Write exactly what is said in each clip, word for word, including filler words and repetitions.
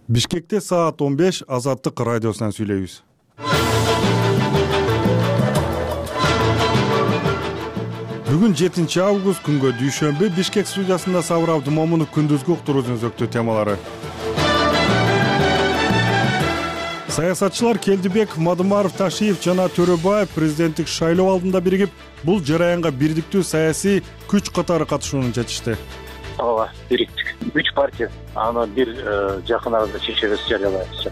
Бишкекте саат он беш Азаттык радиосунан сүйлөйбүз. Бүгүн жетинчи август күнгө дүйшөмбү Бишкек студиясында Сабыр Абдымомунов күндүзгү уктуруунун өзөктүү темалары. Саясатчылар Келдибек, Мадымаров, Ташиев жана Төрөбаев президенттик шайлоо алдында биригип, бул жараянга бирдиктүү саясий күч катары катышууну чечишти. Ооба, бириктик. Үч партия аны бир жакын арада чечебиз жарыялайбыз.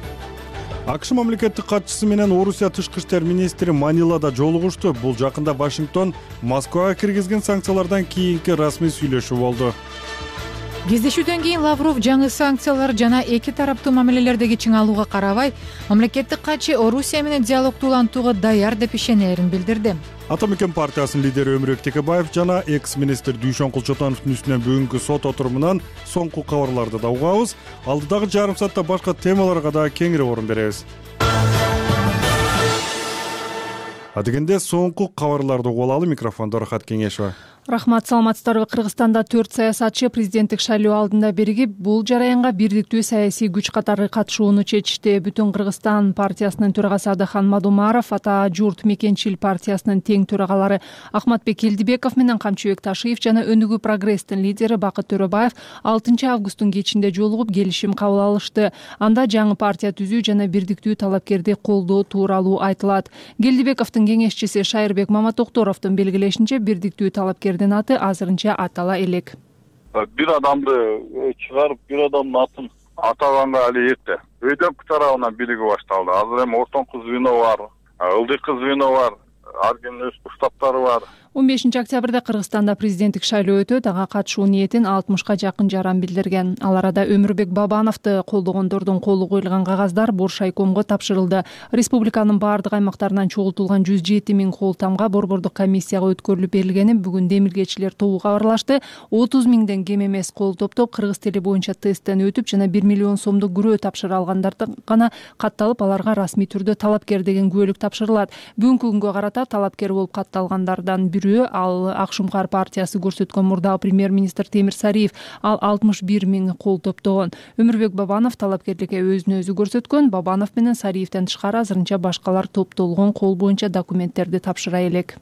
АКШ мамлекеттик катчысы менен Орусия тышкы иштер министри Манилада жолугушту. Бул жакында Вашингтон Москвага киргизген санкциялардан кийинки расмий сүйлөшүү болду. Кездешүүдөн кийин Лавров жаңы санкциялар жана эки тараптуу мамилелердеги чыңалууга карабай, мамлекеттик катчы Орусия менен диалогду улантууга даяр деп ишенерин билдирди. Ата мекен партиясынын лидери Өмүрбек Текебаев жана экс-министр Дүйшөн Кулчотоновдун үстүнөн бүгүнкү сот отурумунан соңку кабарларды да угабыз. Алдыдагы жарым саатта башка темаларга да кеңири орун беребиз. Адегенде соңку кабарларды угуп алалы. Микрофондо Рахат Кеңешова. Рахмат, саламатсыздарбы. Кыргызстанда төрт саясатчы президенттик шайлоо алдында биригип, бул жараянга бирдиктүү саясий күч катары катышууну чечишти. Бүтүн Кыргызстан партиясынын төрагасы Адахан Мадумаров, Ата журт Мекенчил партиясынын тең төрагалары Ахматбек Келдибеков менен Камчыбек Ташиев жана Өнүгүү прогресстин лидери Бакыт Төрөбаев алтынчы августтун кечинде жолугуп келишим кабыл алышты. Анда жаңы партия түзүү жана бирдиктүү талапкерди колдоо тууралуу айтылат. Келдибековдун кеңешчиси Шайырбек Маматокторовдун белгилешинче, бирдиктүү талапкер аты азырынча атала элек. Бир адамды чыгарып, бир адамдын атын атаганга али эрте. Өйдөкү тарабынан бириги башталды. Азыр эми ортоңку звено бар, ылдыйкы звено бар, ар кимдин өз штабтары бар. он бешинчи октябрда Кыргызстанда президенттик шайлоо өтөт. Ага катышуу ниетин алтымышка жакын жаран билдирген. Ал арада Өмүрбек Бабановду колдогондордун колу коюлган кагаздар Боршайкомго тапшырылды. Республиканын бардык аймактарынан чогултулган жүз жети миң кол тамга борбордук комиссияга өткөрүлүп берилгенин бүгүн демилгечилер тобу кабарлашты. отуз миңден кем эмес кол топтоп кыргыз тили боюнча тесттен өтүп жана бир миллион сомдук күрөө тапшыра алгандардан гана катталып, аларга расмий түрдө талапкер деген күбөлүк тапшырылат. Бүгүнкү күнгө карата талапкер болуп катталгандардан ал Акшумкар партиясы көрсөткөн мурдагы премьер-министр Темир Сариев. Ал алтымыш бир миң кол топтогон. Өмүрбек Бабанов талапкерликке өзүн өзү көрсөткөн. Бабанов менен Сариевден тышкары азырынча башкалар топтолгон кол боюнча документтерди тапшыра элек.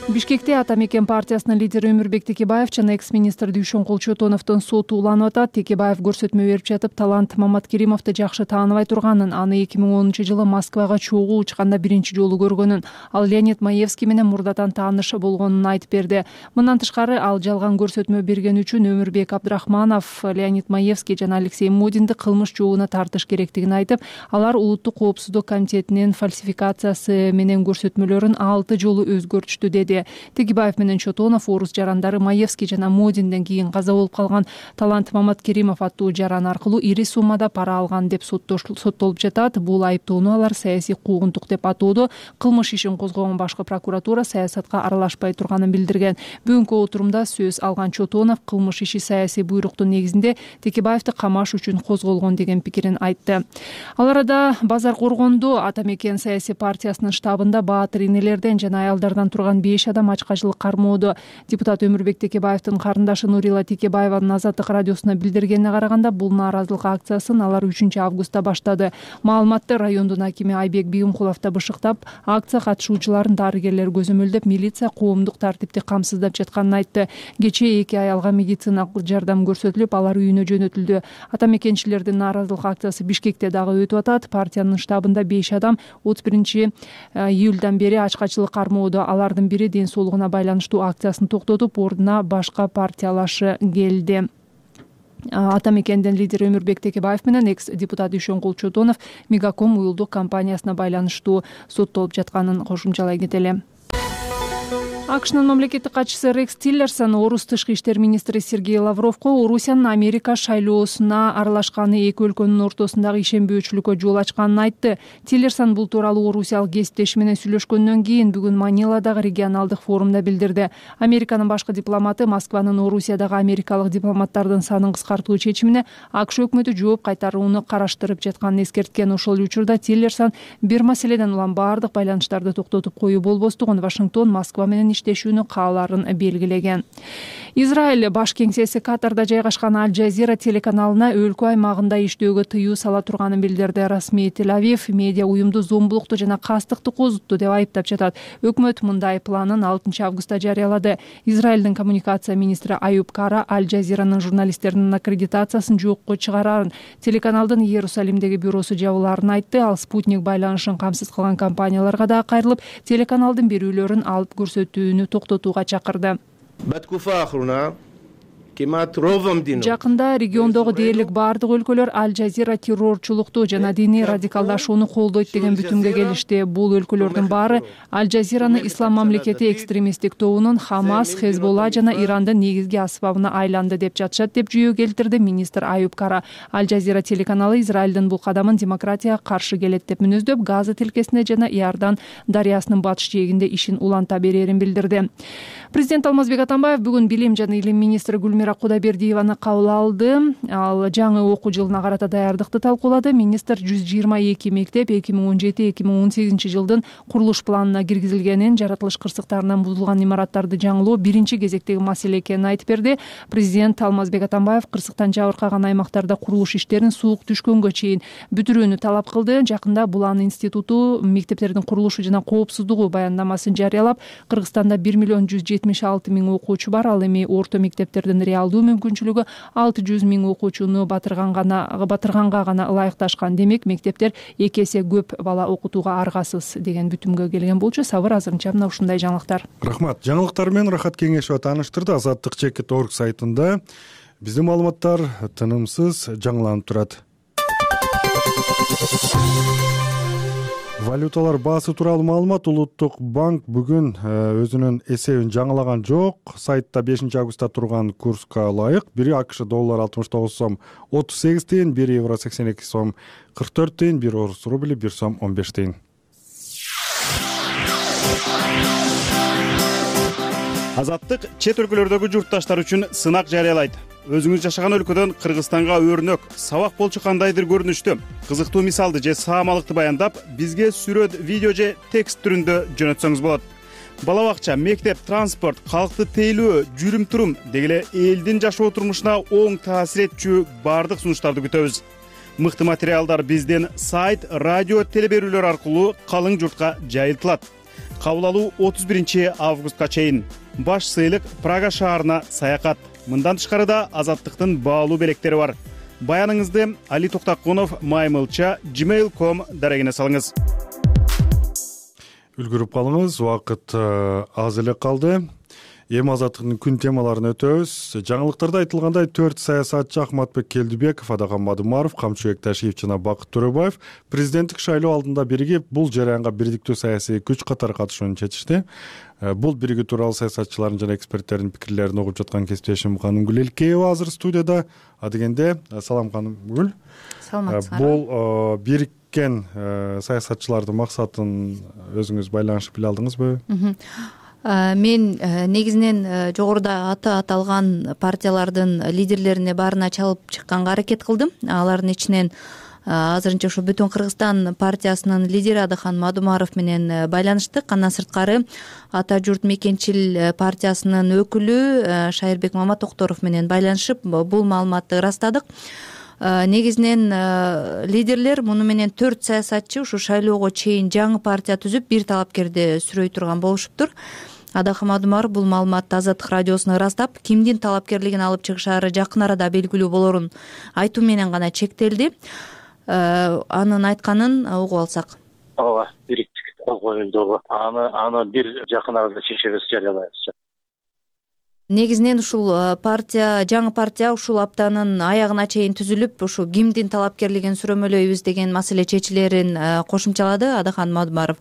Бишкекте Ата мекен партиясынын лидери Өмүрбек Текебаев жана экс-министр Дүйшөн Кулчотоновдун соту уланып атат. Текебаев көрсөтмө берип жатып, талант Маматкеримовду жакшы тааныбай турганын, аны эки миң онунчу жылы Москвага чогуу учканда биринчи жолу көргөнүн, ал Леонид Маевский менен мурдадан тааныш болгонун айтып берди. Мындан тышкары, ал жалган көрсөтмө берген үчүн Өмүрбек Абдрахманов, Леонид Маевский жана Алексей Модинди кылмыш жообуна тартыш керектигин айтып, алар Улуттук коопсуздук комитетинин фальсификациясы менен көрсөтмөлөрүн алты жолу өзгөртүштү деди. Текебаев менен Чотонов орус жарандары Маевский жана Модинден кийин каза болуп калган Талант Маматкеримов аттуу жаран аркылуу ири суммада пара алган деп соттолуп жатат. Бул айыптоону алар саясий куугунтук деп атоодо. Кылмыш ишин козгогон башкы прокуратура саясатка аралашпай турганын билдирген. Бүгүнкү отурумда сөз алган Чотонов кылмыш иши саясий буйруктун негизинде Текебаевди камаш үчүн козголгон деген пикирин айтты. Ал арада Базар Коргондо Ата мекен саясий партиясынын штабында баатыр энелерден жана аялдардан турган беш адам ачкачылык кармоодо. Депутат Өмүрбек Текебаевдин карындашы Нурила Текебаеванын Азаттык радиосуна билдиргенине караганда, бул нааразылык акциясын алар үчүнчү августта баштады. Маалыматты райондун акими Айбек Бийимкулов да бышыктап, акция катышуучуларын дарыгерлер көзөмөлдөп, милиция коомдук тартипти камсыздап жатканын айтты. Кечээ эки аялга медициналык жардам көрсөтүлүп, алар үйүнө жөнөтүлдү. Ата мекенчилердин нааразылык акциясы Бишкекте дагы өтүп атат. Партиянын штабында беш адам отуз биринчи июлдан бери ачкачылык кармоодо. Алардын бири ден соолугуна байланыштуу акциясын токтотуп, ордуна башка партиялашы келди. Ата мекендин лидери Өмүрбек Текебаев менен экс-депутат Дүйшөн Кулчотонов Мегаком уюлдук компаниясына байланыштуу соттолуп жатканын кошумчалай кетели. АКШнын мамлекеттик катчысы Рекс Тиллерсон орус тышкы иштер министри Сергей Лавровго Орусиянын Америка шайлоосуна аралашканы эки өлкөнүн ортосундагы ишенбөөчүлүккө жол ачканын айтты. Тиллерсон бул тууралуу орусиялык кесиптеши менен сүйлөшкөндөн кийин бүгүн Маниладагы регионалдык форумда билдирди. Американын башкы дипломаты Москванын Орусиядагы америкалык дипломаттардын санын кыскартуу чечимине АКШ өкмөтү жооп кайтарууну караштырып жатканын эскерткен. Ошол учурда Тиллерсон бир маселеден улам бардык байланыштарды токтотуп коюу болбостугун, Вашингтон Москва менен иштешүүнү каалаарын белгилеген. Израиль баш кеңсеси Катарда жайгашкан Аль Жазира телеканалына өлкө аймагында иштөөгө тыюу сала турганын билдирди. Расмий Тель-Авив медиа уюмду зомбулукту жана кастыкты козутту деп айыптап жатат. Өкмөт мындай планын алтынчы августта жарыялады. Израилдин коммуникация министри Аюб Кара Аль Жазиранын журналисттеринин аккредитациясын жокко чыгарарын, телеканалдын Иерусалимдеги бюросу жабылаарын айтты. Ал спутник байланышын камсыз кылган компанияларга да кайрылып, телеканалдын берүүлөрүн алып көрсөтүүнү токтотууга чакырды. Жакында региондогу дээрлик баардык өлкөлөр Аль Жазира террорчулукту жана диний радикалдашууну колдойт деген бүтүмгө келишти. Бул өлкөлөрдүн баары Аль Жазираны ислам мамлекети экстремисттик тобунун Хамас, Хезболла жана Ирандын негизги асбабына айланды деп жатышат деп жүйө келтирди министр Аюб Кара. Аль Жазира телеканалы Израилдин бул кадамын демократияга каршы келет деп мүнөздөп, Газа тилкесине жана Иордан дарыясынын батыш жээгинде ишин уланта берерин билдирди. Президент Алмазбек Атамбаев бүгүн билим жана илим министри Гүлмира Кудайбердиеваны кабыл алды. Ал жаңы окуу жылына карата даярдыкты талкуулады. Министр жүз жыйырма эки мектеп эки миң он жети эки миң он сегизинчи жылдын курулуш планына киргизилгенин, жаратылыш кырсыктарынан бузулган имараттарды жаңылоо биринчи кезектеги маселе экенин айтып берди. Президент Алмазбек Атамбаев кырсыктан жабыркаган аймактарда курулуш иштерин суук түшкөнгө чейин бүтүрүүнү талап кылды. Жакында Булан институту мектептердин курулушу жана коопсуздугу баяндамасын жарыялап, Кыргызстанда бир миллион жүз жетимиш алты миң окуучу бар. Ал эми орто мектептердин реалдуу мүмкүнчүлүгү алты жүз миң окуучуну батырган гана батырганга гана ылайыкташкан. Демек, мектептер эки эсе көп бала окутууга аргасыз деген бүтүмгө келген болчу. Сабыр азырынча мына ушундай жаңылыктар. Рахмат. Жаңылыктар менен Рахат Кеңешова тааныштырды. Азаттык чекит точка орг сайтында биздин маалыматтар тынымсыз жаңыланып турат. Валюталар баасы тууралуу маалымат. Улуттук банк бүгүн өзүнүн эсебин жаңылаган жок. Сайтта бешинчи августта турган курска ылайык бир АКШ доллар алтымыш тогуз сом отуз сегиз тыйын, бир евро сексен эки сом кырк төрт тыйын, бир орус рубли бир сом он беш тыйын. Азаттык чет өлкөлөрдөгү журтташтар үчүн сынак жарыялайт. Өзүңүз жашаган өлкөдөн Кыргызстанга өрнөк, сабак болчу кандайдыр көрүнүштө кызыктуу мисалды же саамалыкты баяндап, бизге сүрөт, видео же текст түрүндө жөнөтсөңүз болот. Бала бакча, мектеп, транспорт, калкты тейлөө, жүрүм-турум деги эле элдин жашоо турмушуна оң таасир этчү баардык сунуштарды күтөбүз. Мыкты материалдар биздин сайт, радио, телеберүүлөр аркылуу калың журтка жайылтылат. Кабыл алуу отуз биринчи августка чейин. Баш сыйлык Прага шаарына саякат. Мындан тышкары да Азаттыктын баалуу белектери бар. Баяныңызды Али Токтакунов маймылча gmail точка ком дарегине салыңыз. Үлгүрүп калыңыз, убакыт аз эле калды. Эми Азаттыктын күн темаларын өтөбүз. Жаңылыктарда айтылгандай, төрт саясатчы Ахматбек Келдибеков, Адаган Мадумаров, Камчыбек Ташиев жана Бакыт Төрөбаев президенттик шайлоо алдында биригип, бул жараянга бирдиктүү саясий күч катары катышууну чечишти. Бул биригүү тууралуу саясатчылардын жана эксперттердин пикирлерин угуп жаткан кесиптешим Канымгүл Элкеева азыр студияда. Адегенде, салам Канымгүл. Саламатсыздар. Бул бириккен саясатчылардын максатын өзүңүз байланышып биле алдыңызбы? Мен негизинен жогоруда аты аталган партиялардын лидерлерине баарына чалып чыкканга аракет кылдым. Алардын ичинен азырынча ушу Бүтүн Кыргызстан партиясынын лидери Адаган Мадумаров менен байланыштык. Андан сырткары Ата журт мекенчил партиясынын өкүлү Шайырбек Маматокторов менен байланышып бул маалыматты ырастадык. Негизинен лидерлер муну менен төрт саясатчы ушу шайлоого чейин жаңы партия түзүп, бир талапкерди сүрөй турган болушуптур. Адаган Мадумаров бул маалыматты Азаттык радиосуна ырастап, кимдин талапкерлигин алып чыгышаары жакын арада белгилүү болорун айтуу менен гана чектелди. Анын айтканын угуп алсак. Ооба, бириктик кол коюлду. Аны аны бир жакын арада чечебиз, жарыялайбыз. Негизинен ушул партия, жаңы партия ушул аптанын аягына чейин түзүлүп, ушу кимдин талапкерлигин сүрөмөлөйбүз деген маселе чечилерин кошумчалады Адаган Мадумаров.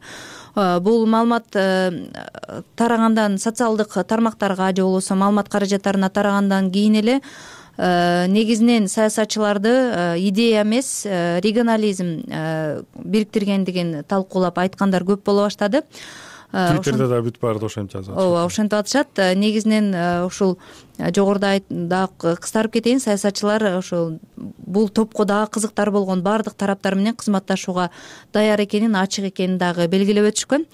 Бул маалымат тарагандан, социалдык тармактарга же болбосо маалымат каражаттарына тарагандан кийин эле негизинен саясатчыларды идея эмес, регионализм бириктиргендигин талкуулап айткандар көп боло баштады. Твиттерде да бүт баары ошентип жазат. Ооба, ошентип атышат. Негизинен ушул жогоруда дагы кыстарып кетейин, саясатчылар ошол бул топко дагы кызыктар болгон баардык тараптар менен кызматташууга даяр экенин, ачык экенин дагы белгилеп өтүшкөн.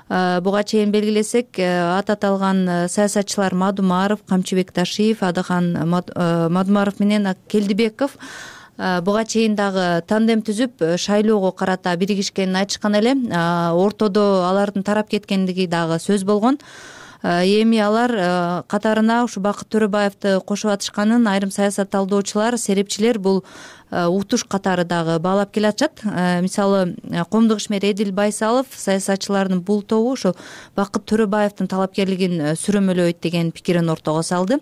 буга чейин белгилесек, аты аталган саясатчылар Мадумаров, Камчыбек Ташиев, Адахан Мадумаров менен Келдибеков буга чейин дагы тандем түзүп шайлоого карата биригишкенин айтышкан эле. Ортодо алардын тарап кеткендиги дагы сөз болгон. Эми алар катарына ушу Бакыт Төрөбаевди кошуп атышканын айрым саясат талдоочулар, серепчилер бул утуш катары дагы баалап келатышат. Мисалы, коомдук ишмер Эдил Байсалов саясатчылардын бул тобу ошо Бакыт Төрөбаевдин талапкерлигин сүрөмөлөйт деген пикирин ортого салды.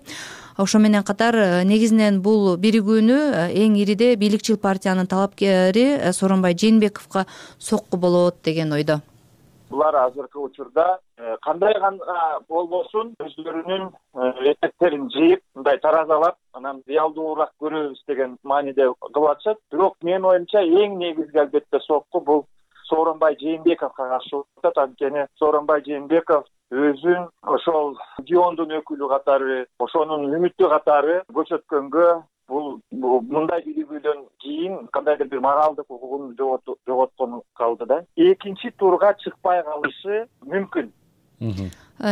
Ошо менен катар негизинен бул биригүүнү эң ириде бийликчил партиянын талапкери Сооронбай Жээнбековго сокку болот деген ойдо. Булар азыркы учурда кандай гана болбосун өздөрүнүн этектерин жыйып, мындай таразалап, анан реалдуураак көрөбүз деген мааниде кылып атышат. Бирок менин оюмча эң негизги албетте сокку бул Сооронбай Жээнбековго каршы болуп атат. Анткени Сооронбай Жээнбеков өзүн ошол региондун өкүлү катары, ошонун үмүтү катары көрсөткөнгө, бул мындай биригүүдөн кийин кандайдыр бир моралдык укугун жоготкон калды да. Экинчи турга чыкпай калышы мүмкүн.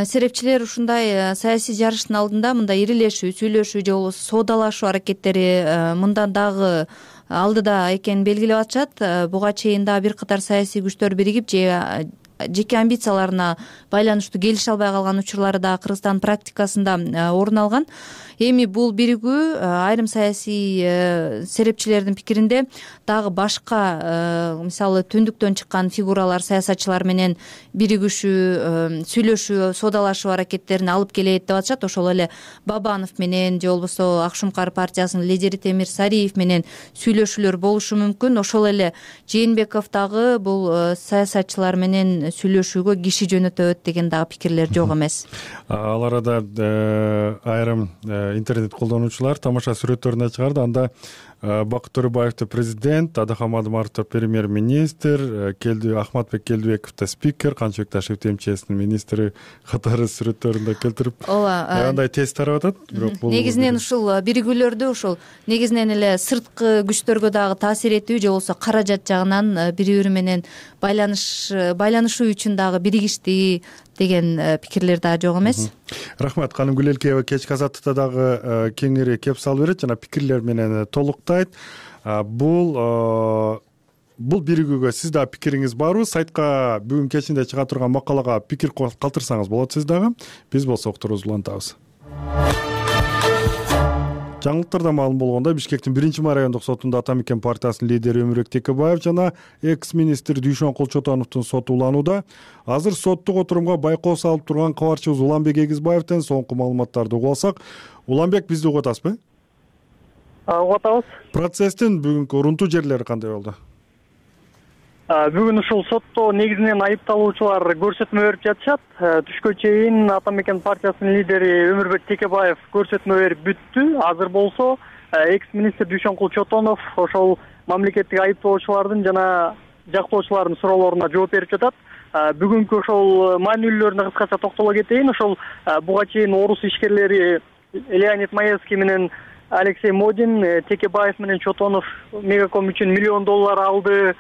Серепчилер ушундай саясий жарыштын алдында мындай ирилешүү, сүйлөшүү же болбосо соодалашуу аракеттери мындан дагы алдыда экенин белгилеп атышат. Буга чейин дагы бир катар саясий күчтөр биригип же жеке амбицияларына байланыштуу келише албай калган учурлары да Кыргызстан практикасында орун алган. Эми бул биригүү айрым саясий серепчилердин пикиринде дагы башка, мисалы түндүктөн чыккан фигуралар, саясатчылар менен биригишүү, сүйлөшүү, соодалашуу аракеттерин алып келет деп атышат. Ошол эле Бабанов менен же болбосо Ак Шумкар партиясынын лидери Темир Сариев менен сүйлөшүүлөр болушу мүмкүн. Ошол эле Жээнбеков дагы бул саясатчылар менен сүйлөшүүгө киши жөнөтөт деген дагы пикирлер жок эмес. Ал арада айрым интернет колдонуучулар тамаша сүрөттөрүн чыгарды. Анда Бакыт Төрөбаевди президент, Адахан Мадумаровду премьер-министр, Келди Ахматбек Келдибековду спикер, Камчыбек Ташиевди МЧСтин министри катары сүрөттөрүндө келтирип, андай тез тарап атат. Бирок бул негизинен ушул биригүүлөрдү ушул негизинен эле сырткы күчтөргө дагы таасир этүү же болбосо каражат жагынан бири-бири менен байланыш байланышуу үчүн дагы биригишти деген пикирлер да жок эмес. Рахмат. Каным Гүлелкеева кечки азаттыкта дагы кеңири кеп салып берет жана пикирлер менен толуктайт. Бул бул биригүүгө сиз дагы пикириңиз барбы? Сайтка бүгүн кечинде чыга турган макалага пикир калтырсаңыз болот сиз дагы. Биз болсо уктурубузду улантабыз. Жаңылыктарда маалым болгондой, Бишкектин биринчи май райондук сотунда Ата Мекен партиясынын лидери Өмүрбек Текебаев жана экс-министр Дүйшөн Кулчотоновдун соту уланууда. Азыр соттук отурумга байкоо салып турган кабарчыбыз Уланбек Эгизбаевден соңку маалыматтарды угуп алсак. Уланбек, бизди угуп атасызбы? Угуп атабыз. Процесстин бүгүнкү урунтуу жерлери кандай болду? Бүгүн ушул сотто негизинен айыпталуучулар көрсөтмө берип жатышат. Түшкө чейин Ата Мекен партиясынын лидери Өмүрбек Текебаев көрсөтмө берип бүттү. Азыр болсо экс-министр Дүйшөн Кулчотонов ошол мамлекеттик айыптоочулардын жана жактоочулардын суроолоруна жооп берип жатат. Бүгүнкү ошол маанилүүлөрүнө кыскача токтоло кетейин. Ошол буга чейин орус ишкерлери Леонид Маевский менен Алексей Модин Текебаев менен Чотонов Мегаком үчүн миллион доллар алды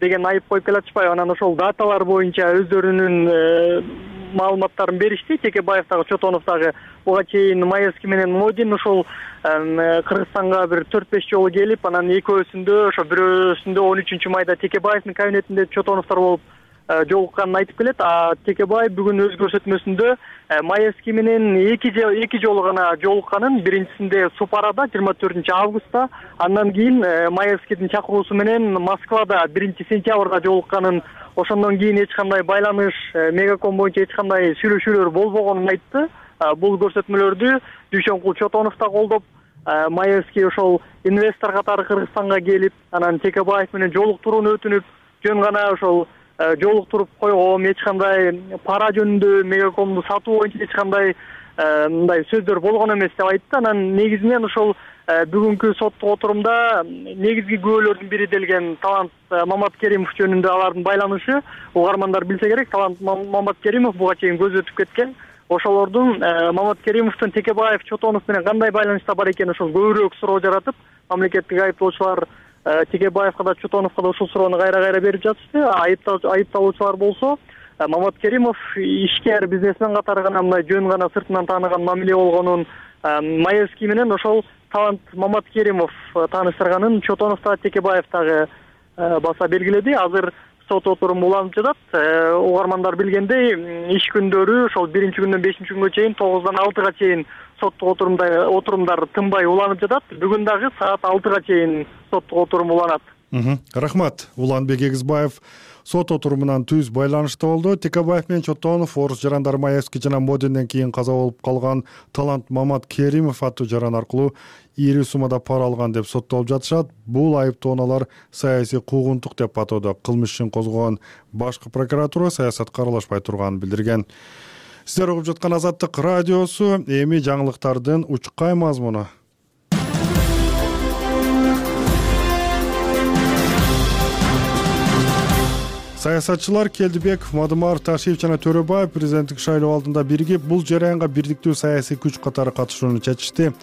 деген айып коюп келатышпайбы? Анан ошол даталар боюнча өздөрүнүн маалыматтарын беришти. Текебаев дагы Чотонов дагы буга чейин Маевский менен Модин ошол Кыргызстанга бир төрт беш жолу келип, анан экөөсүндө ошо бирөөсүндө он үчүнчү майда Текебаевдин кабинетинде Чотоновдор болуп жолукканын айтып келет. А Текебаев бүгүн өз көрсөтмөсүндө Маевский менен эки эки жолу гана жолукканын, биринчисинде Супарада жыйырма төртүнчү августта, андан кийин Маевскийдин чакыруусу менен Москвада биринчи сентябрда жолукканын, ошондон кийин эч кандай байланыш, Мегаком боюнча эч кандай сүйлөшүүлөр болбогонун айтты. Бул көрсөтмөлөрдү Дүйшөн Кулчотонов да колдоп, Маевский ошол инвестор катары Кыргызстанга келип, анан Текебаев менен жолуктурууну өтүнүп, жөн гана ошол жолуктуруп койгом, эч кандай пара жөнүндө Мегакомду сатуу боюнча эч кандай мындай сөздөр болгон эмес деп айтты. Анан негизинен ошол бүгүнкү соттук отурумда негизги күбөлөрдүн бири делген Талант Маматкеримов жөнүндө алардын байланышы, угармандар билсе керек, Талант Маматкеримов буга чейин көз өтүп кеткен. Ошолордун Маматкеримовдун Текебаев, Чотонов менен кандай байланышта бар экени ошол көбүрөөк суроо жаратып, мамлекеттик айыптоочулар Текебаевга да Чотоновго да ушул суроону кайра кайра берип жатышты. Айыпталуучулар болсо Мамат Керимов ишкер бизнесмен катары гана мындай жөн гана сыртынан тааныган мамиле болгонун, Маевский менен ошол талант Мамат Керимов тааныштырганын Чотонов да Текебаев дагы баса белгиледи. Азыр сот отуруму уланып жатат. Угармандар билгендей, иш күндөрү ошол биринчи күндөн бешинчи күнгө чейин тогуздан алтыга чейин соттук отурумда отурумдар тынбай уланып жатат. Бүгүн дагы саат алтыга чейин соттук отурум уланат. Рахмат. Уланбек Эгизбаев сот отурумунан түз байланышта болду. Текебаев менен Чотонов орус жарандары Маевский жана Модинден кийин каза болуп калган талант Мамат Керимов аттуу жаран аркылуу ийри суммада пара алган деп соттолуп жатышат. Бул айыптооналар саясий куугунтук деп атоодо. Кылмыш ишин козгогон башкы прокуратура саясатка аралашпай турганын билдирген. Сиздер угуп жаткан Азаттык радиосу. Эми жаңылыктардын учкай мазмуну. Саясатчылар Келдибеков, Мадымаров, Ташиев жана Төрөбаев президенттик шайлоо алдында биригип, бул жараянга бирдиктүү саясий күч катары катышууну чечишти.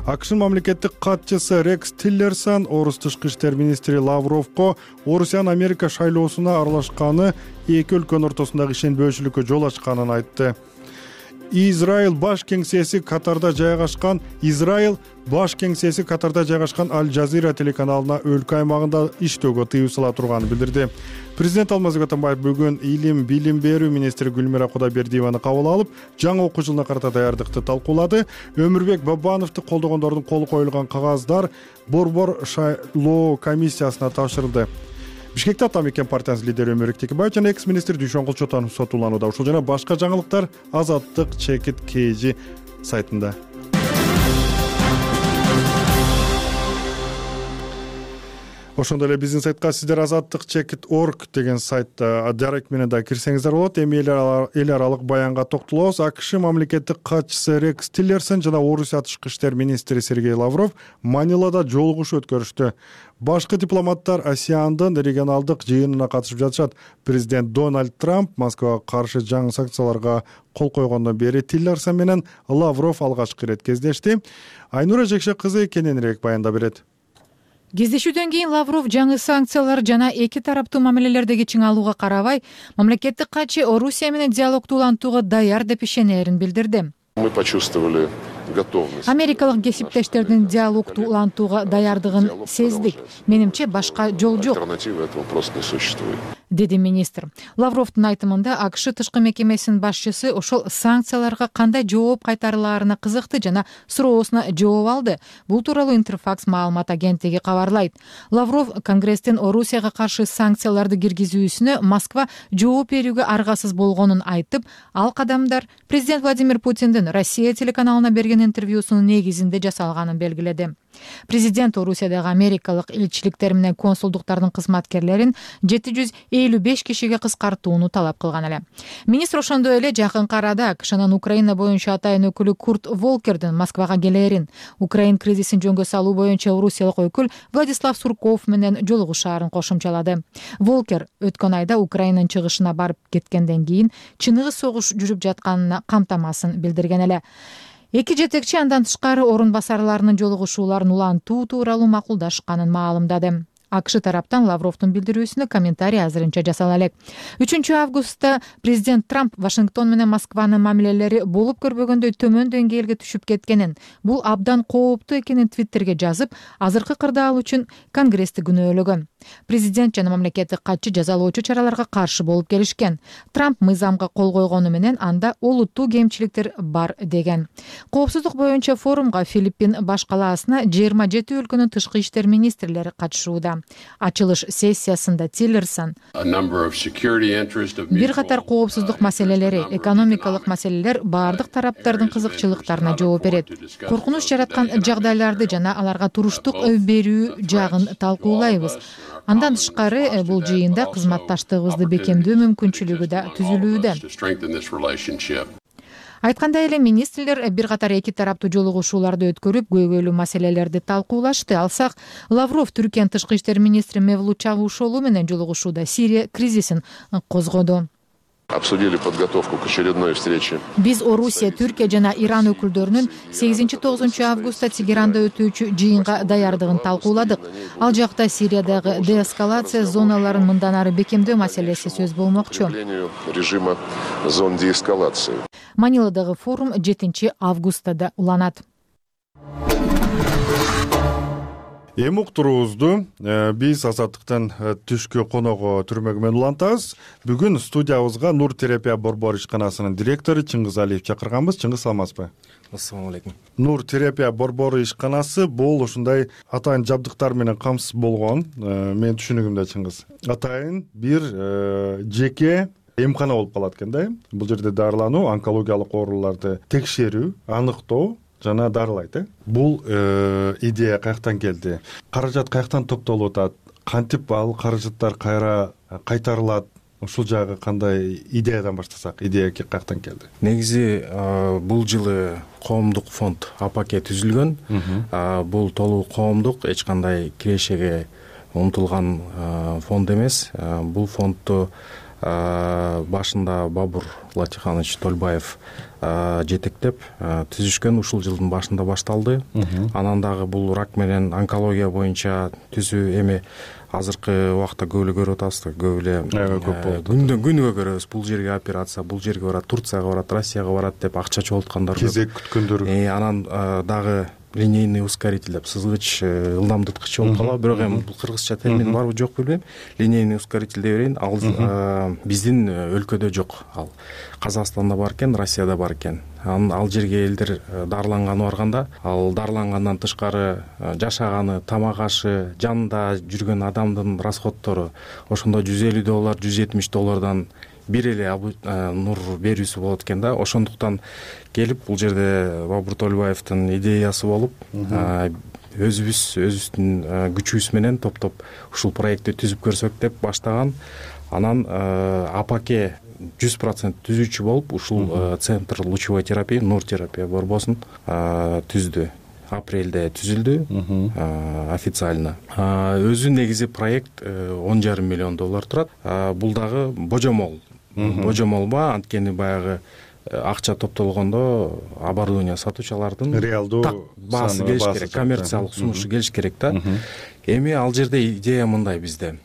АКШнын мамлекеттик катчысы Рекс Тиллерсон орус тышкы иштер министри Лавровго Орусиянын Америка шайлоосуна аралашканы эки өлкөнүн ортосундагы ишенбөөчүлүккө жол ачканын айтты. Израиль баш кеңсеси Катарда жайгашкан Израиль баш кеңсеси Катарда жайгашкан Аль-Жазира телеканалына өлкө аймагында иштөөгө тыюу сала турганын билдирди. Президент Алмазбек Атамбаев бүгүн илим, билим берүү министри Гүлмира Кудайбердиеваны кабыл алып, жаңы окуу жылына карата даярдыкты талкуулады. Өмүрбек Бабановду колдогондордун колу коюлган кагаздар Борбор шайлоо комиссиясына тапшырылды. Бишкекте Ата мекен партиясынын лидери Өмүрбек Текебаев жана экс-министр Дүйшөнгүл Чотонов сотуланууда. Ушул жана башка жаңылыктар Азаттык чекит kg сайтында. Ошондой эле биздин сайтка сиздер азаттык чекит точка орг деген сайтта дарек менен да кирсеңиздер болот. Эми эл аралык баянга токтолобуз. АКШ мамлекеттик катчысы Рекс Тиллерсон жана Орусия тышкы иштер министри Сергей Лавров Манилада жолугушуу өткөрүштү. Башкы дипломаттар Асиандын регионалдык жыйынына катышып жатышат. Президент Дональд Трамп Москвага каршы жаңы санкцияларга кол койгондон бери Тиллерсон менен Лавров алгачкы ирет кездешти. Айнура Жекше кызы кененирээк баяндап берет. Кездешүүдөн кийин Лавров жаңы санкциялар жана эки тараптуу мамилелердеги чыңалууга карабай, мамлекеттик катчы Орусия менен диалогду улантууга даяр деп ишенерин билдирди. Мы почувствовали готовность. Америкалык кесиптештердин диалогду улантууга даярдыгын сездик. Менимче башка жол жок. Альтернативы этого просто не существует. Деди министр. Лавровдун айтымында АКШ тышкы мекемесинин башчысы ошол санкцияларга кандай жооп кайтарылаарына кызыкты жана суроосуна жооп алды. Бул тууралуу Интерфакс маалымат агенттиги кабарлайт. Лавров Конгресстин Орусияга каршы санкцияларды киргизүүсүнө Москва жооп берүүгө аргасыз болгонун айтып, ал кадамдар президент Владимир Путиндин Россия телеканалына берген интервьюсунун негизинде жасалганын белгиледи. Президент Орусиядагы америкалык элчиликтер менен консулдуктардын кызматкерлерин жети жүз элүү беш кишиге кыскартууну талап кылган эле. Министр ошондой эле жакынкы арада АКШнын Украина боюнча атайын өкүлү Курт Волкердин Москвага келерин, Украин кризисин жөнгө салуу боюнча орусиялык өкүл Владислав Сурков менен жолугушаарын кошумчалады. Волкер өткөн айда Украинанын чыгышына барып кеткенден кийин чыныгы согуш жүрүп жатканына камтамасын билдирген эле. Эки жетекчи андан тышкары орун басарларынын жолугушууларын улантуу тууралуу макулдашканын маалымдады. АКШ тараптан Лавровдун билдирүүсүнө комментарий азырынча жасала элек. үчүнчү августта президент Трамп Вашингтон менен Москванын мамилелери болуп көрбөгөндөй төмөн деңгээлге түшүп кеткенин, бул абдан кооптуу экенин Твиттерге жазып, азыркы кырдаал үчүн Конгрессти күнөөлөгөн. Президент жана мамлекеттик катчы жазалоочу чараларга каршы болуп келишкен. Трамп мыйзамга кол койгону менен анда олуттуу кемчиликтер бар деген. Коопсуздук боюнча форумга Филиппин баш калаасына жыйырма жети өлкөнүн тышкы иштер министрлери катышууда. Ачылыш сессиясында Тиллерсон бир катар коопсуздук маселелери, экономикалык маселелер баардык тараптардын кызыкчылыктарына жооп берет. Коркунуч жараткан жагдайларды жана аларга туруштук берүү жагын талкуулайбыз. Андан тышкары бул жыйында кызматташтыгыбызды бекемдөө мүмкүнчүлүгү да түзүлүүдө. Айткандай эле министрлер бир катар эки тараптуу жолугушууларды өткөрүп, көйгөйлүү маселелерди талкуулашты. Алсак, Лавров Түркиянын тышкы иштер министри Мевлут Чавушоğlu менен жолугушууда Сирия кризисин козгоду. Обсудили подготовку к очередной встрече. Биз Орусия, Түркия жана Иран өкүлдөрүнүн сегизинчи тогузунчу августта Тегеранда өтүүчү жыйынга даярдыгын талкууладык. Ал жакта Сириядагы деэскалация зоналарын мындан ары бекемдөө маселеси сөз болмокчу. Режима зон деэскалации. Маниладагы форум жетинчи августта уланат. Эми уктуруубузду биз Азаттыктан түшкү коного түрмөгү менен улантабыз. Бүгүн студиябызга Нур терапия борбор ишканасынын директору Чыңгыз Алиев чакырганбыз. Чыңгыз, саламатсызбы? Ассаламу алейкум. Нур терапия борбору ишканасы бул ушундай атайын жабдыктар менен камсыз болгон. Менин түшүнүгүмдө, Чыңгыз, атайын бир жеке эмкана болуп калат экен да. Бул жерде дарылануу, онкологиялык ооруларды текшерүү, аныктоо жана дарылайт. э Бул идея каяктан келди? Каражат каяктан топтолуп атат? Кантип ал каражаттар кайра кайтарылат? Ушул жагы кандай? Идеядан баштасак, идея каяктан келди? Негизи бул жылы коомдук фонд АПАКе түзүлгөн. Бул толук коомдук, эч кандай кирешеге умтулган фонд эмес. Бул фондду башында Бабур Латиханович Тольбаев жетектеп түзүшкөн. Ушул жылдын башында башталды. Анан дагы бул рак менен онкология боюнча түзүү эми азыркы убакта көп эле көрүп атабыз да, көп эле күндөн күнгө көрөбүз. Бул жерге операция, бул жерге барат, Турцияга барат, Россияга барат деп акча чогулткандар көп. Кезек күткөндөр. Анан дагы линейный ускоритель деп, сызгыч, ылдамдыткыч болуп калат. Бирок эми бул кыргызча термин барбы жок билбейм. Линейный ускоритель деп берейин. Ал биздин өлкөдө жок. Ал Казакстанда бар экен, Россияда бар экен. Анан ал жерге элдер дарыланганы барганда, ал дарылангандан тышкары жашаганы, тамак ашы, жанында жүргөн адамдын расходтору ошондо жүз элүү доллар, жүз жетимиш доллардан бир эле нур берүүсү болот экен да. Ошондуктан келип бул жерде Бабур Тольбаевдин идеясы болуп, өзүбүз өзүбүздүн күчүбүз менен топтоп ушул проектти түзүп көрсөк деп баштаган. Анан АПАКе жүз процент түзүүчү болуп, ушул центр лучевой терапии, Нур терапия борбосун түздү. Апрелде түзүлдү официально. Өзү негизи проект он жарым миллион доллар турат. Бул дагы божомол. Божомолба, анткени баягы акча топтолгондо оборудование сатуучулардын реалдуу баасы келиш керек, коммерциялык сунушу келиш керек да. Эми ал жерде идея мындай бизде.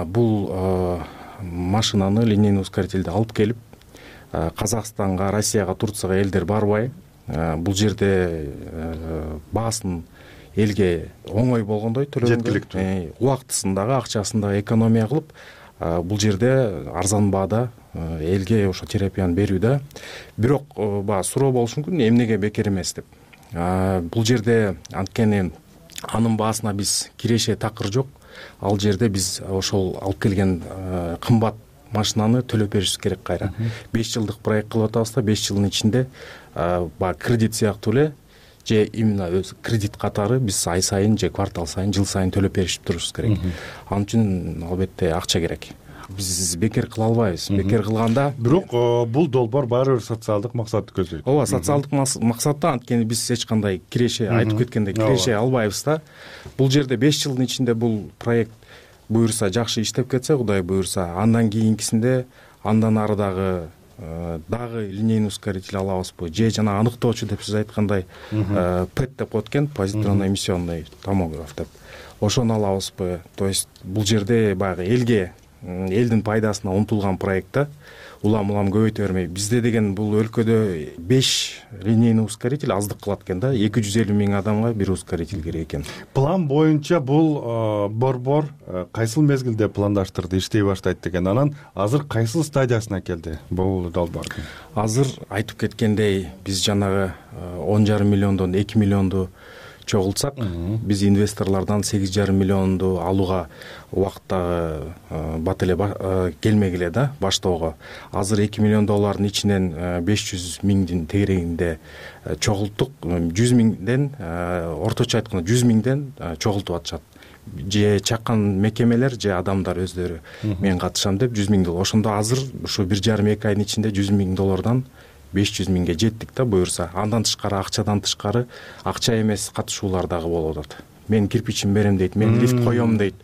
Бул машинаны, линейный ускорительди алып келип, Казакстанга, Россияга, Турцияга элдер барбай, бул жерде баасын элге оңой болгондой төлөгөнгө, жеткиликтүү, убактысындагы, акчасындагы экономия кылып, бул жерде арзан баада элге ошо терапияны берүүдө. Бирок баягы суроо болушу мүмкүн, эмнеге бекер эмес деп. Бул жерде анткени анын баасына биз киреше такыр жок. Ал жерде биз ошол алып келген кымбат машинаны төлөп беришибиз керек кайра. беш жылдык проект кылып атабыз да, беш жылдын ичинде баягы кредит сыяктуу эле, же именно өз кредит катары биз ай сайын же квартал сайын, жыл сайын төлөп беришип турушубуз керек. Ал үчүн албетте акча керек. Биз бекер кыла албайбыз. Бекер кылганда, бирок бул долбоор баары бир социалдык максатты көздөйт. Ооба, социалдык максатта, анткени биз эч кандай киреше, айтып кеткендей, киреше албайбыз да. Бул жерде беш жылдын ичинде бул проект буюрса, жакшы иштеп кетсе, Кудай буюрса, андан кийинкисинде андан ары дагы дагы линейный ускоритель алабызбы, же жана аныктоочу деп сиз айткандай пэт деп коет экен, позитронно-эмиссионный томограф деп. Ошону алабызбы? То есть бул жерде баягы элге, элдин пайдасына умтулган проектта улам-улам көбөйтө бермей. Бизде деген бул өлкөдө беш линейный ускоритель аздык кылат экен да. эки жүз элүү миң адамга бир ускоритель керек экен. План боюнча бул борбор кайсыл мезгилде пландаштырды, иштей баштайт деген. Анан азыр кайсыл стадиясына келди бул долбоордун? Азыр айтып кеткендей, биз жанагы он жарым миллиондон эки миллионду чогултсак, биз инвесторлордон сегиз жарым миллионду алууга убакта бат эле келмегиле да, баштоого. Азыр эки миллион доллардын ичинен беш жүз миңдин тегерегинде чогулттук. жүз миңден, орточо айтканда жүз миңден чогултуп атышат. Же чаккан мекемелер, же адамдар өздөрү мен катышам деп жүз миң доллар. Ошондо азыр ушу бир жарым эки айдын ичинде жүз миң доллардан беш жүз миңге жеттик да буюрса. Андан тышкары, акчадан тышкары, акча эмес катышуулар дагы болуп атат. мен кирпичин берем дейт, мен лифт коем дейт,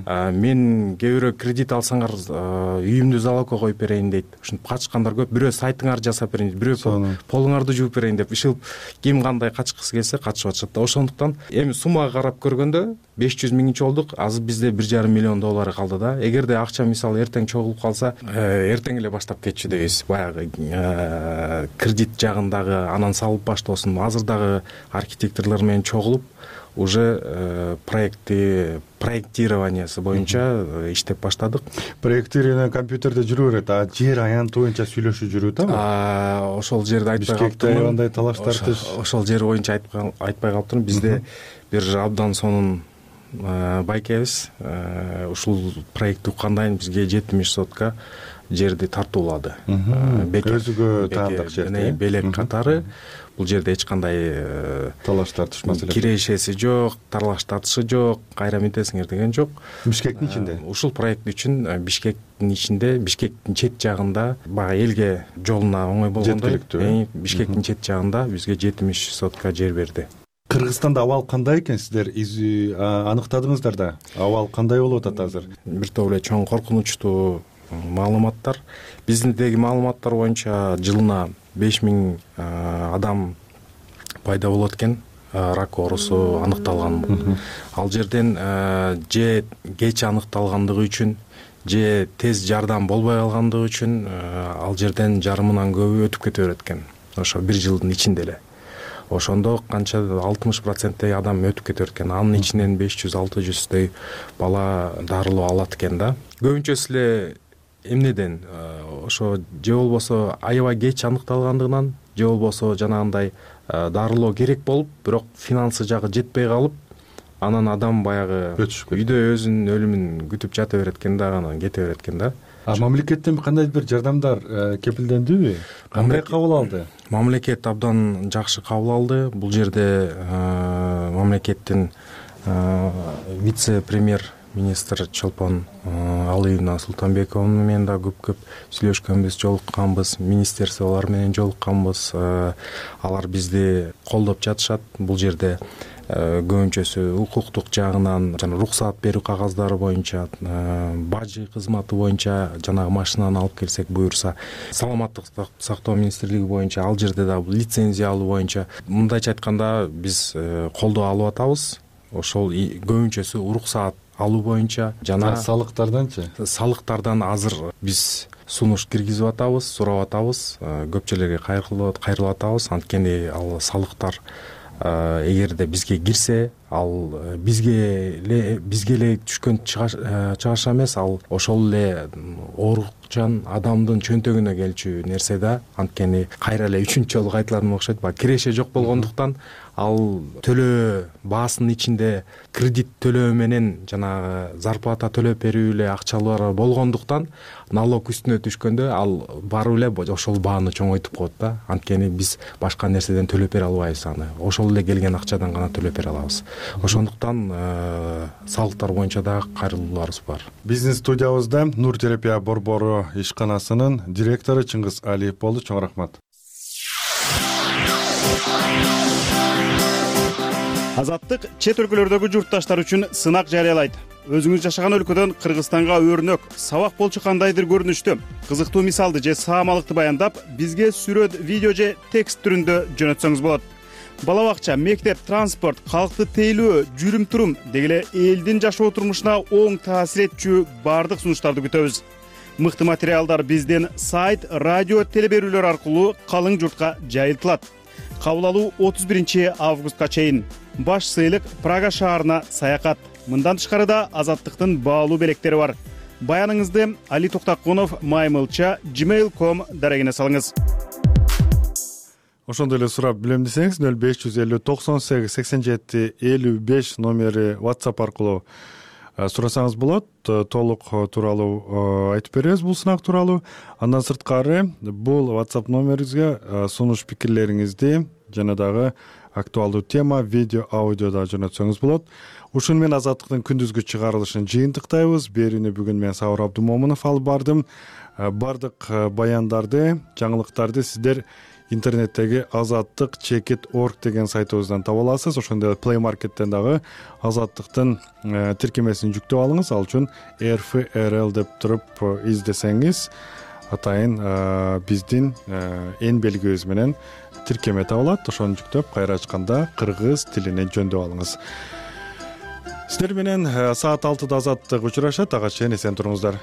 мен кээ бирөө кредит алсаңар үйүмдү залогко коюп берейин дейт. Ушинтип качкандар көп. Бирөө сайтыңарды жасап берейин дейт, бирөө полуңарды жууп берейин деп ишилип ким кандай качкысы келсе качып атышат да. Ошондуктан эми суммага карап көргөндө беш жүз миңинчи болдук, азыр бизде бир жарым миллион доллар калды да. Эгерде акча мисалы эртең чогулуп калса, эртең эле баштап кетчү дейбиз. Баягы кредит жагындагы анан салып баштоосун. Азыр дагы архитекторлор менен чогулуп уже проекти проектированиясы боюнча иштеп баштадык. Проектирование компьютерде жүрө берет, а жер аянты боюнча сүйлөшүү жүрөт а? Ошол жерди айтпай калыптырмын. Кандай талаш тартыш? Ошол жер боюнча айтпай калыптырмын. Бизде бир абдан сонун байкебиз. Ушул проекти уккандан бизге жетимиш сотка жерди тартуулады. Өзүгө таандык жер. Белек катары. Бул жерде эч кандай талаш тартыш маселеси, кирешеси жок, талаш тартышы жок, кайра мынтесиңер деген жок. Бишкектин ичинде. Ушул проект үчүн Бишкектин ичинде, Бишкектин чет жагында, баягы элге жолуна оңой болгондой, Бишкектин чет жагында бизге жетимиш сотка жер берди. Кыргызстанда абал кандай экен? Сиздер аныктадыңыздар да. Абал кандай болуп атат азыр? Бир топ эле чоң коркунучтуу маалыматтар. Биздеги маалыматтар боюнча жылына беш миң адам пайда болот экен, рак оорусу аныкталган. Ал жерден же кеч аныкталгандыгы үчүн, же тез жардам болбой калгандыгы үчүн ал жерден жарымынан көбү өтүп кете берет экен. Ошо бир жылдын ичинде эле. Ошондо канча алтымыш проценттей адам өтүп кете берет экен. Анын ичинен беш жүз алты жүздөй бала дарылоо алат экен да. Көбүнчөсү эле эмнеден, ошо же болбосо аябай кеч аныкталгандыгынан, же болбосо жанагындай дарылоо керек болуп, бирок финансы жагы жетпей калып, анан адам баягы үйдө өзүнүн өлүмүн күтүп жата берет экен да, анан кете берет экен да. А мамлекеттен кандайдыр бир жардамдар кепилдендиби? Кандай кабыл алды? Мамлекет абдан жакшы кабыл алды. Бул жерде мамлекеттин вице-премьер министр Чолпон Алыевна Султанбекова менен да көп-көп сүйлөшкөнбүз, жолукканбыз, министерстволор менен жолукканбыз. Алар бизди колдоп жатышат. Бул жерде көбүнчөсү укуктук жагынан, жана уруксаат берүү кагаздары боюнча, бажы кызматы боюнча, жанагы машинаны алып келсек буюрса, саламаттык сактоо министрлиги боюнча, ал жерде да лицензия алуу боюнча, мындайча айтканда биз колдоо алып атабыз. Ошол көбүнчөсү уруксаат алуу боюнча, жана салыктарданчы? Салыктардан азыр биз сунуш киргизип атабыз, сурап атабыз, көпчүлөргө кайрылып атабыз. Анткени ал салыктар эгерде бизге кирсе, ал бизге эле бизге эле түшкөн чыгаша эмес, ал ошол эле оорукчан адамдын чөнтөгүнө келчү нерсе да. Анткени кайра эле үчүнчү жолу кайтылган окшойт. Баягы киреше жок болгондуктан ал төлөө баасынын ичинде кредит төлөө менен жанагы зарплата төлөп берүү эле акчалар болгондуктан налог үстүнө түшкөндө ал барып эле ошол бааны чоңойтуп коет да. Анткени биз башка нерседен төлөп бере албайбыз аны. Ошол эле келген акчадан гана төлөп бере алабыз. Ошондуктан салыктар боюнча дагы кайрылууларыбыз бар. Биздин студиябызда Нур терапия борбору ишканасынын директору Чыңгыз Алиев болду. Чоң рахмат. Азаттык чет өлкөлөрдөгү журтташтар үчүн сынак жарыялайт. Өзүңүз жашаган өлкөдөн Кыргызстанга өрнөк, сабак болчу кандайдыр көрүнүштө, кызыктуу мисалды же саамалыкты баяндап, бизге сүрөт, видео же текст түрүндө жөнөтсөңүз болот. Бала бакча, мектеп, транспорт, калкты тейлөө, жүрүм-турум деги эле элдин жашоо турмушуна оң таасир этчү бардык сунуштарды күтөбүз. Мыкты материалдар бизден сайт, радио, телеберүүлөр аркылуу калың журтка жайылтылат. Кабыл алуу отуз биринчи августка чейин. Баш сыйлык Прага шаарына саякат. Мындан тышкары да Азаттыктын баалуу белектери бар. Баяныңызды Али Токтокунов маймылча gmail точка ком дарегине салыңыз. Ошондой эле сурап билем десеңиз нөл беш жүз элүү токсон сегиз сексен жети элүү беш номери WhatsApp аркылуу сурасаңыз болот. Толук тууралуу айтып беребиз бул сынак тууралуу. Андан сырткары бул WhatsApp номериңизге сунуш пикирлериңизди жана дагы актуалдуу тема, видео, аудиода жөнөтсөңүз болот. Ушуну менен Азаттыктын күндүзгү чыгарылышын жыйынтыктайбыз. Берүүнү бүгүн мен Сабыр Абдумомунов алып бардым. Бардык баяндарды, жаңылыктарды сиздер интернеттеги азаттык чекит орг деген сайтыбыздан таба аласыз. Ошондой эле Play Market'тен дагы азаттыктын тиркемесин жүктөп алыңыз. Ал үчүн эр эф эр эл деп туруп издесеңиз атайын биздин эн белгибиз менен тиркеме табылат. Ошону жүктөп кайра ачканда кыргыз тилине жөндөп алыңыз. Сиздер менен саат алтыда азаттык учурашат. Ага чейин эсен туруңуздар.